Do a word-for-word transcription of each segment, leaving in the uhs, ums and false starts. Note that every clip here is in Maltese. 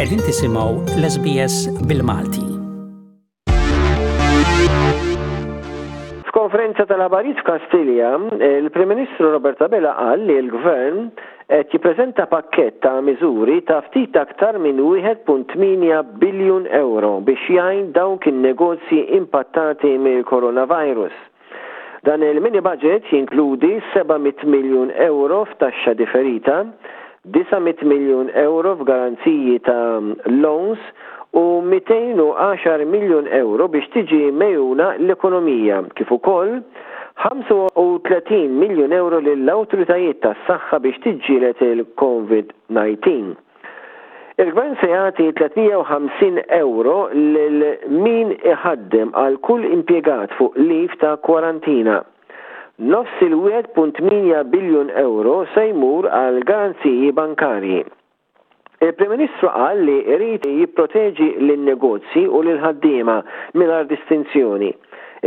Qegħdin tisimgħu l-S B S bil-Malti. F'konferenza tal-aħbarijiet f'Kastilja, il-Prim Ministru Robert Abela qal li l-Gvern qed jippreżenta pakkett ta' miżuri ta' ftit aktar minn wieħed punt tmienja biljun euro biex jgħin dawk in-negozji impattati mill-coronavirus. Dan il-mini budget jinkludi seba' mitt miljun euro f'taxxa differita, disa' mitt miljun euro f'garanziji ta' loans u mitejn u għaxar miljun euro biex tiġi megħjuna l-ekonomija, kif ukoll ħamsa u tletin miljun euro lill-awtoritajiet tas-saħħa biex tiġġieled il-COVID disa. Il-Gvern se jagħti tliet mija u ħamsin euro lil min iħaddem għal kull impjegat fuq leave ta' kwarantina. Nofs il-wieħed punt tmienja biljun euro se jmur għal garanziji bankarji. Il-Prim Ministru qal li jrid jipproteġi lin-negozji u lil-ħaddiema mingħajr distinzjoni.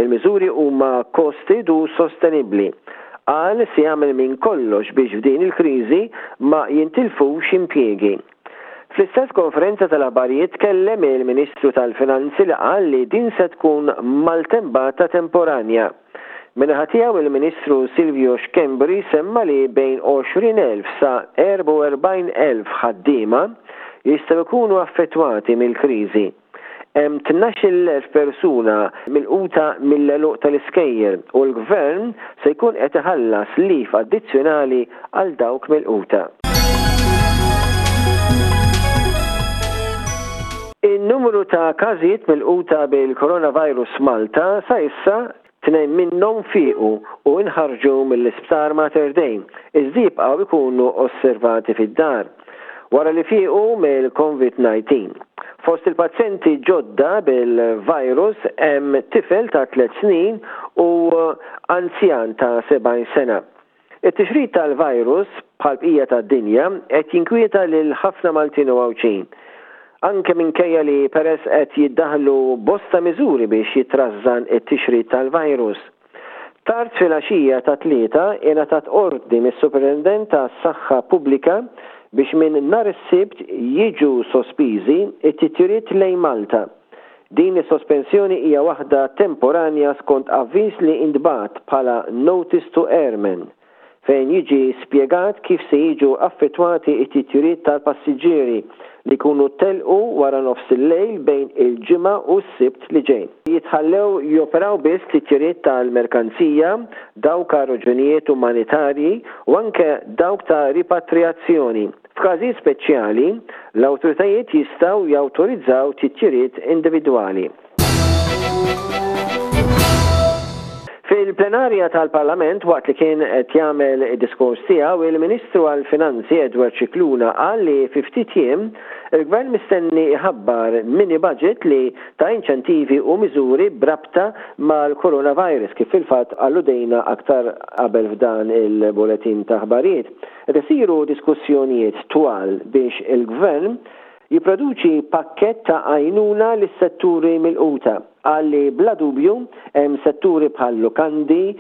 Il-miżuri huma costed u sostenibbli. Qal se jagħmel minn kollox biex f'din il-kriżi ma jintilfux impjiegi. Fl-istess konferenza tal-aħbarijiet tkellem il-Ministru tal-Finanzi, li qal li din se tkun maltempata temporanja. Min-naħa tiegħu, il-Ministru Silvio Schembri semma li bejn għoxrin elf sa erbgħa u erbgħin elf ħaddiema jistgħu jkunu affettwati mill-kriżi. Hemm tnax-il elf persuna milquta mill-għeluq tal-iskejjel u l-gvern se jkun qed iħallas leave addizzjonali għal dawk milquta. In-numru ta' każijiet milquta bil-coronavirus Malta sa issa, tnejn minnhom fiequ u inħarġu mill-isptar Mater Dei, iżda jibqgħu jkunu osservati fid-dar wara li fiequ mill-COVID disa. Fost il-pazjenti ġodda bil-virus hemm tifel ta' tliet snin u anzjan ta' sebgħin sena. It-tixrid tal-virus bħal bqija tad-dinja qed jinkwieta lil ħafna Maltin u Għawdxin, anke minkejja li peress qed jiddaħlu bosta miżuri biex jitrażżan it-tixrid tal-virus. Tard fil-għaxija tat-Tlieta ingħatat ordni mis-Superintendent tas-Saħħa Pubblika biex minn nhar is-Sibt jiġu sospiżi it-titjiriet lejn Malta. Din is-sospensjoni hija waħda temporanja skont avviż li intbagħat bħala Notice to Airmen, fejn jiġi spjegat kif se jiġu affettwati it-titjiriet tal-passiġġieri li jkunu telqu wara nofs il-lejl bejn il-Ġimgħa u s-Sibt li ġej. Jitħallew joperaw biss titjiriet tal-merkanzija, dawk għal raġunijiet umanitarji u anke dawk ta' ripatriazzjoni. F'każijiet speċjali, l-awtoritajiet jistgħu jawtorizzaw titjiriet individwali. Fil-plenarja tal-Parlament, waqt li kien qed jagħmel id-diskors tiegħu, il-Ministru għall-Finanzi Edward Scicluna qal li fi ftit jiem il-Gvern mistenni jħabbar mini budget li ta' inċentivi u miżuri brabta mal-coronavirus, kif fil-fatt alludejna aktar qabel f'dan il-bulletin ta' aħbarijiet. Qed isiru diskussjonijiet twal biex il-Gvern jipproduċi pakket ta' għajnuna lis-setturi milquta. Qal li bla dubju hemm setturi bħal lukandi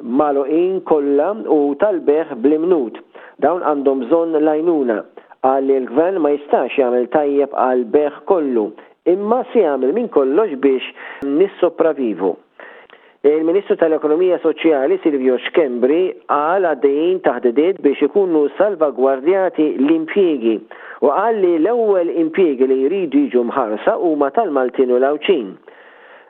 magħluqin kollha u tal-bejgħ bl-imnut. Dawn għandhom bżonn l-għajnuna. Qal li l-Gvern ma jistax jagħmel tajjeb għal bejgħ kollu, imma se jagħmel minn kollox biex nissopravivu. Il-Ministru tal-Ekonomija Soċjali Silvio Schembri qal għaddejjin taħdidiet biex ikunu salvagwardjati l-impjiegi u qal li l-ewwel impjiegi li jridu jiġu mħarsa huma tal-Maltin u l-Għawdxin.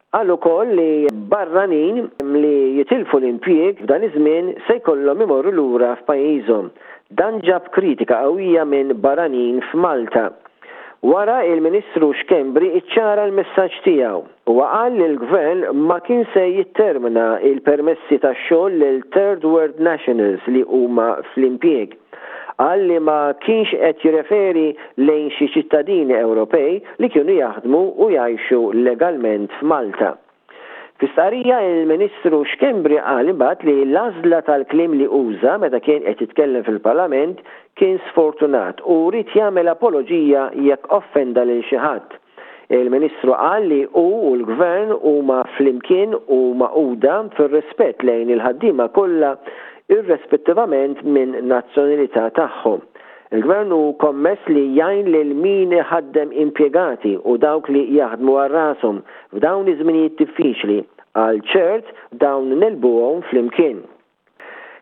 Qal ukoll li barranin li jitilfu l-impjieg f'dan iż-żmien se jkollhom imorru lura f'pajjiżhom. Dan ġab kritika qawwija minn barranin f'Malta. Wara, il-Ministru Schembri iċċara l-messaġġ tiegħu u qal li l-Gvern ma kien se jittermina il-permessi tax-xogħol lil Third World Nationals li huma fl-impjieg. Qal li ma kienx qed jirreferi lejn xi ċittadini Ewropej li kienu jaħdmu u jgħixu legalment f'Malta. Fi il-Ministru Schembri qal imbagħad li l-għażla tal-kliem li uża meta kien qed jitkellem fil-Parlament kien sfortunat u ried jagħmel apoloġija jekk offenda lil xi ħadd. Il-Ministru qal li hu u l-Gvern huma flimkien u magħquda fir-rispett lejn il-ħaddiema kollha, irrispettivament minn nazzjonalità tagħhom. Il-Gvern hu kommess li jgħin lil min iħaddem impjegati u dawk li jaħdmu għal rashom f'dawn iż-żminijiet diffiċli għal ċert dawn negħlbuhom flimkien.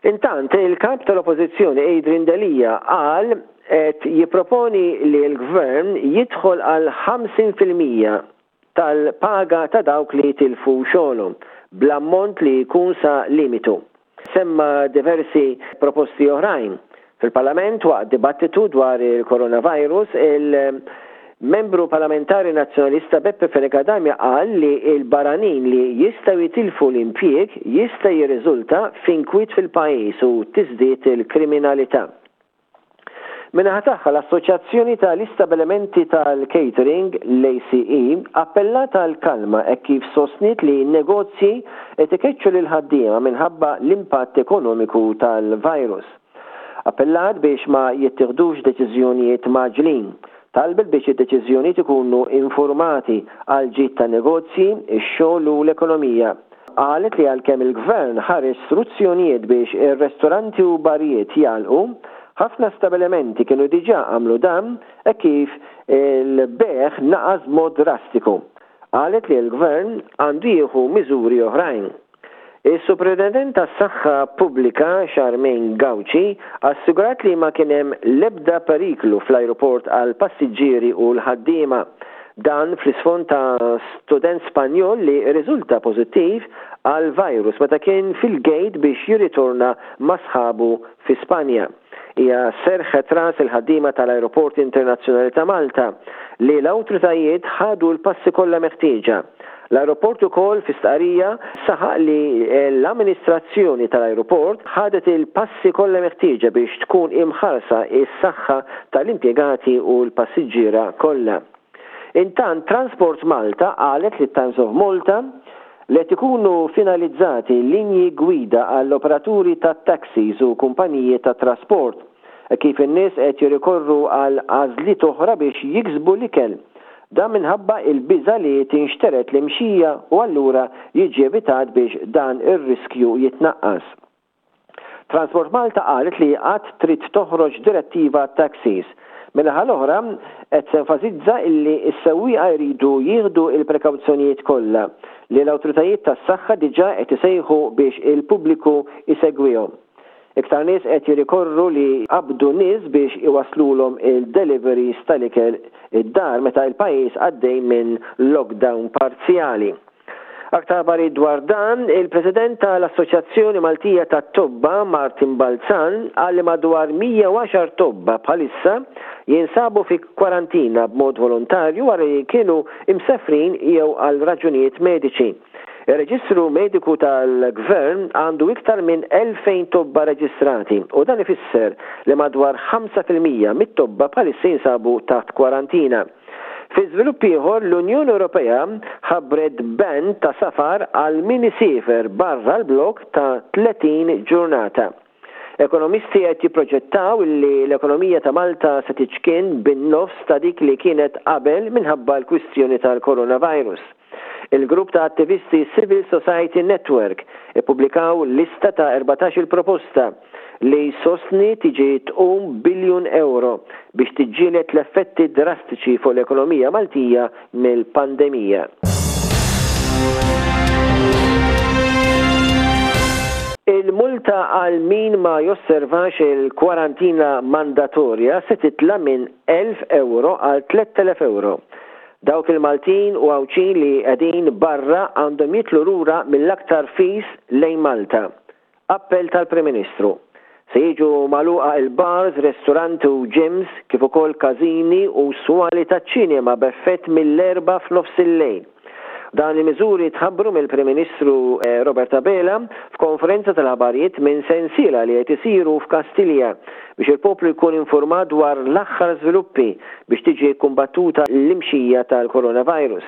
Intant, il-kap tal-Oppożizzjoni Adrian Delia qal qed jipproponi li l-Gvern jidħol għal ħamsin fil-mija tal-paga ta' dawk li tilfu xogħolhom, bl-ammont li jkun sa limitu. Semma diversi proposti oħrajn. Fil-Parlament waqt dibattitu dwar il-coronavirus, il-membru parlamentari nazzjonalista Beppe Fenech Adami qal li l-barranin li jistgħu jitilfu l-impjieg jista' jirriżulta f'inkwiet fil-pajjiż u tiżdied il-kriminalità. Min-naħa tagħha l-Assoċjazzjoni tal-Istabbilimenti tal-Catering, l-A C E, appellat għal kalma hekk kif sostniet li n-negozji qed ikeċċu lil ħaddiema minħabba l-impatt ekonomiku tal-virus. Appellat biex ma jittieħdux deċiżjonijiet mgħaġġlin. Talbet biex id-deċiżjonijiet ikunu informati għal ġid ta' negozji, ix-xogħol u l-ekonomija. Qalet li għalkemm il-gvern ħareġ istruzzjonijiet biex ir-restoranti u barijiet jagħlqu, ħafna stabilimenti kienu diġà għamlu dan e kif il-bejgħ naqas mod drastiku. Qalet li l-gvern għandu jieħu miżuri oħrajn. Is-Superintendent tas-Saħħa Pubblika Charmaine Gauci assigurat li ma kien hemm l-ebda periklu fl-ajruport għal passiġġieri u l-ħaddiema. Dan fl-isfond ta' student Spanjol li riżulta pożittiv għal virus meta kien fil-gate biex jirritorna ma' sħabu fi Spanja. Hija serħet ras il-ħaddiema tal-Ajruport Internazzjonali ta' Malta li l-awtoritajiet ħadu l-passi kollha meħtieġa. L-aeroport ukoll fi stqarrija saħaq li l-amministrazzjoni tal-aeroport ħadet il-passi kollha meħtieġa biex tkun imħarsa is-saħħa tal-impjegati u l-passiġġiera kollha. Intant Transport Malta qalet li Times of Malta li qed ikunu finalizzati linji gwida għall-operaturi ta' taxis u kumpaniji ta' trasport kif in-nies qed jirrikorru għal għażliet oħra biex jiksbu l-ikel. Dan minħabba il-biża li tinxteret l-imxija u allura jiġi evitat biex dan ir-riskju jitnaqqas. Transport Malta qalet li għad trid toħroġ direttiva taxis. Min-naħa l-oħra qed tenfasizza illi s-sewwieqa jridu jieħdu il-prekawzjonijiet kollha li l-awtoritajiet tas-saħħa diġà qed isejħu biex il-pubbliku isegwihom. Iktar nies qed jirrikorru li qabdu nies biex iwaslulhom il-deliveries tal-ikel id-dar meta il-pajjiż għaddej minn lockdown parzjali. Aktar aħbarijiet dwar dan, il-President tal-Assoċjazzjoni Maltija tat-Tobba Martin Balzan qal li madwar mija u għaxar tobba bħalissa jinsabu fi kwarantina b'mod volontarju wara li kienu imsefrin jew għal raġunijiet mediċi. Ir-Reġistru Mediku tal-Gvern għandu iktar minn elfejn tobba reġistrati u dan ifisser li madwar ħamsa fil-mija mit-tobba bħalissa jinsabu taħt kwarantina. Fi żvilupp ieħor, l-Unjoni Ewropea ħabbret ban ta' safar għal min isiefer barra l-blok ta' tletin ġurnata. Ekonomisti qed jipproġettaw li l-ekonomija ta' Malta se tiċkien bin-nofs ta' dik li kienet qabel minħabba l-kwistjoni tal-coronavirus. Il-grupp ta' attivisti Civil Society Network ippubblikaw lista ta' erbatax-il proposta li sostni tiġi tqum biljun euro biex tiġġieled l-effetti drastiċi fuq l-ekonomija Maltija mill-pandemija. Il-multa għal min ma josservax il-kwarantina mandatorja se titla minn elf euro għal tlett elef euro. Dawk il-Maltin u Għawdxin li qegħdin barra għandhom jitilgħu lura mill-aktar fis lejn Malta. Appell tal-Prim Ministru. Se jiġu magħluqa il-bars, ristoranti u gyms, kif ukoll każini u swali taċ-ċinema b'effett mill-Erbgħa f'nofs il-lejl. Dan il-miżuri tħabbru mill-Prim Ministru eh, Robert Abela f'konferenza tal-aħbarijiet minn sensiela li qed isiru f'Kastilja biex il-poplu jkun informat dwar l-aħħar żviluppi biex tiġi kumbattuta l-imxija tal-coronavirus.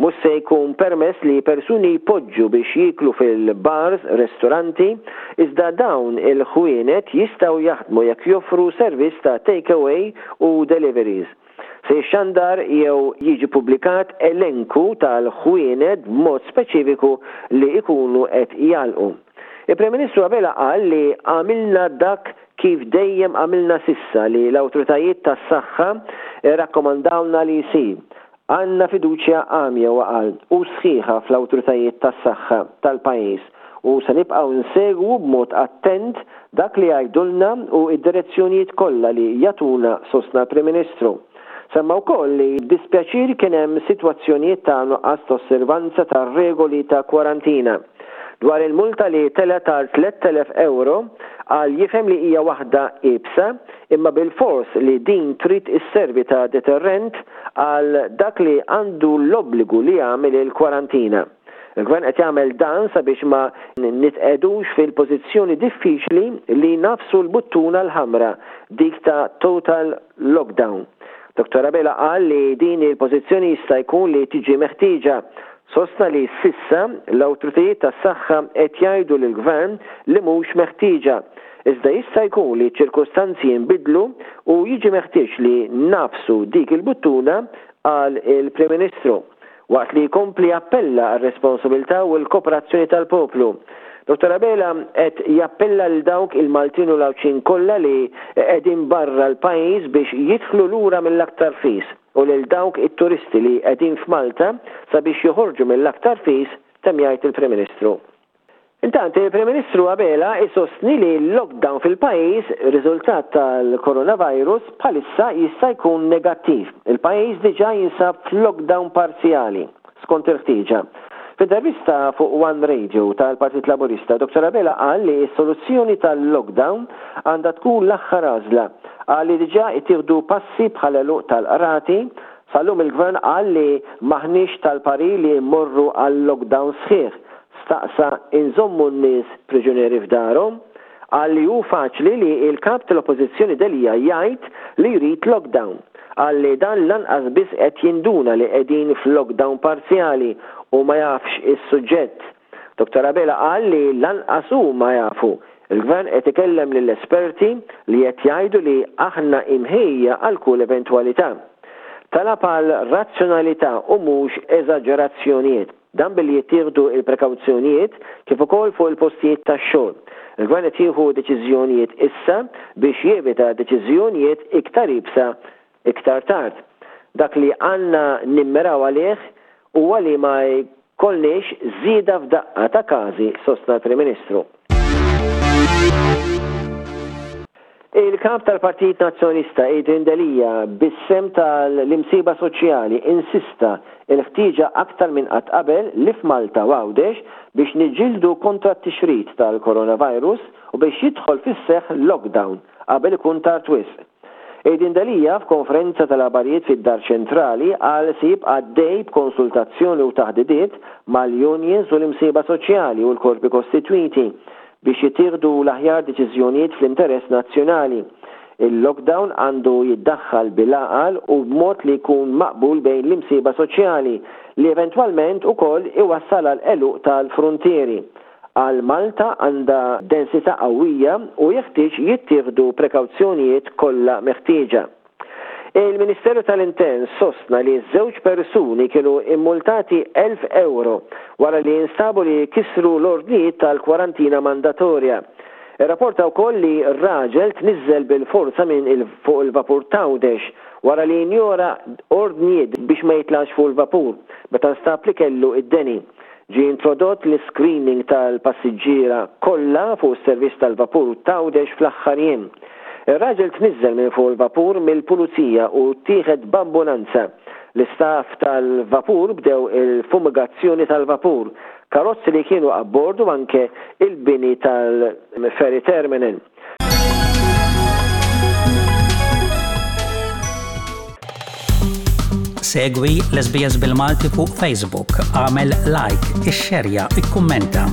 Mhux se jkun permess li persuni jpoġġu biex jiklu fil-bars, ristoranti, iżda dawn il-ħwienet jistgħu jaħdmu jekk joffru servizz ta' takeaway u deliveries. Se jixxandar jew jiġi publikat elenku tal-ħwienet b'mod speċifiku li ikunu qed jagħlqu. Il-Prim Ministru Abela qal li għamilna dak kif dejjem għamilna s'issa li l-awtoritajiet tas-saħħa rrakkomandawna li jsir. Għandna fiduċja għamja huwa qal u sħiħa fl-awtoritajiet tas-saħħa tal-pajjiż u se nibqgħu nsegwu b'mod attent dak li jgħidulna u id-direzzjonijiet kollha li jagħtuna sostna l-Prim Ministru. Semma wkoll li b'dispjaċir kien hemm sitwazzjonijiet ta' nuqqas ta' osservanza ta' regoli ta' kwarantina. Dwar il-multa li telgħet għal tlett elef ewro, qal jifhem li hija waħda iebsa, imma bilfors li din trid isservi ta' deterrent għal dak li għandu l-obbligu li jagħmel il-kwarantina. Il-Gvern qed jagħmel dan sabiex ma nitqegħdux fil-pożizzjoni diffiċli li nagħfsu l-buttuna l-ħamra, dik ta' total lockdown. Dottor Abela qal li din il-pożizzjoni jista' jkun li tiġi meħtieġa. Sostna li s'issa l-awtoritajiet tas-saħħa qed jgħidu lill-Gvern li mhux meħtieġa. Iżda jista' jkun li ċ-ċirkustanzi jinbidlu u jiġi meħtieġ li nagħfsu dik il-buttuna, qal il-Prim Ministru. Waqt li jkompli jappella għar-responsabilità u l-kooperazzjoni tal-poplu. Dottor Abela qed jappella lil dawk il-Maltin u l-Għawdxin kollha li qegħdin barra l-pajjiż biex jidħlu lura mill-aktar fis u lil dawk it-turisti li qegħdin f'Malta sabiex joħorġu mill-aktar fis, temm jgħid il-Prim Ministru. Intant, il-Prim Ministru Abela isostni li l-lockdown fil-pajjiż riżultat tal-coronavirus bħalissa jista' jkun negattiv. Il-pajjiż diġà jinsab f'lockdown parzjali, skont il-ħtieġa. F'intervista fuq One Radio tal-Partit Laburista, Dottor Abela qal li s-soluzzjoni tal-lockdown għandha tkun l-aħħar għażla. Qal li diġà ittieħdu passi bħal għeluq tal-qrati. Sal-lum il-Gvern qal li m'aħniex tal-parir li mmorru għal lockdown sħiħ. Staqsa inżommu n-nies priġunieri f'darhom. Qal li hu faċli li l-kap tal-Oppożizzjoni Delia jgħid li jrid lockdown. Qal li dan lanqas biss qed jinduna li qegħdin f'lockdown parzjali u ma jafx is-suġġett. Dottor Abela qal li lanqas hu ma jafu. Il-Gvern qed ikellem lill-esperti li qed jgħidu li aħna imħejja għal kull eventwalità. Talab għal razzjonalità u mhux eżaġerazzjonijiet. Dan billi jittieħdu il-prekawzjonijiet kif ukoll fuq il-postijiet tax-xogħol. Il-Gvern qed jieħu deċiżjonijiet issa biex jevita deċiżjonijiet iktar iebsa iktar tard. Dak li għandna nimmiraw għalih huwa li ma jkollniex żieda f'daqqa ta' każi, sostna l-Prim Ministru. Il-kap tal-Partit Nazzjonalista Adrian Delia bis-sem tal-imsiba soċjali insista il-ħtieġa aktar minn qatt qabel li f'Malta u Għawdex biex niġġieldu kontra t-tixrid tal-coronavirus u biex jidħol fis-seħħ lockdown qabel ikun tard wisq. Adrian Delia f'konferenza tal-aħbarijiet fid-Dar Ċentrali qal se jibqa' għaddej b'konsultazzjoni u taħdidiet mal-unions u l-imsiba soċjali u l-korpi kostitwiti biex jittieħdu l-aħjar deċiżjonijiet fl-interess nazzjonali. Il-lockdown għandu jiddaħħal bil-għaqal u b'mod li jkun maqbul bejn l-imsiba soċjali li eventwalment ukoll iwassal għal għeluq tal-frontieri. Għal Malta għandha densità qawwija u jeħtieġ jittieħdu prekawzjonijiet kollha meħtieġa. Il-Ministeru tal-Intern sostna li żewġ persuni kienu immultati elf euro wara li instabu li kisru l-ordnijiet tal-kwarantina mandatorja. Irrapporta wkoll li r-raġel tniżżel bil-forza minn il-, fuq il-vapur t'Għawdex wara li injora ordnijiet biex ma jitlax fuq il-vapur meta nstab li kellu id-deni. Ġie introdott l-screening tal-passiġġiera kollha fuq is-servizz tal-vapur t'Għawdex fl-aħħar jiem. Ir-raġel tniżżel minn fuq il-vapur mill-pulizija u ttieħed b'ambulanza. L-istaff tal-vapur bdew il-fumigazzjoni tal-vapur, karozzi li kienu abbord u anke il-bini tal-ferry terminal. Segwi l-S B S bil-Malti fuq Facebook, għamel like, ixxerja, ikkummenta.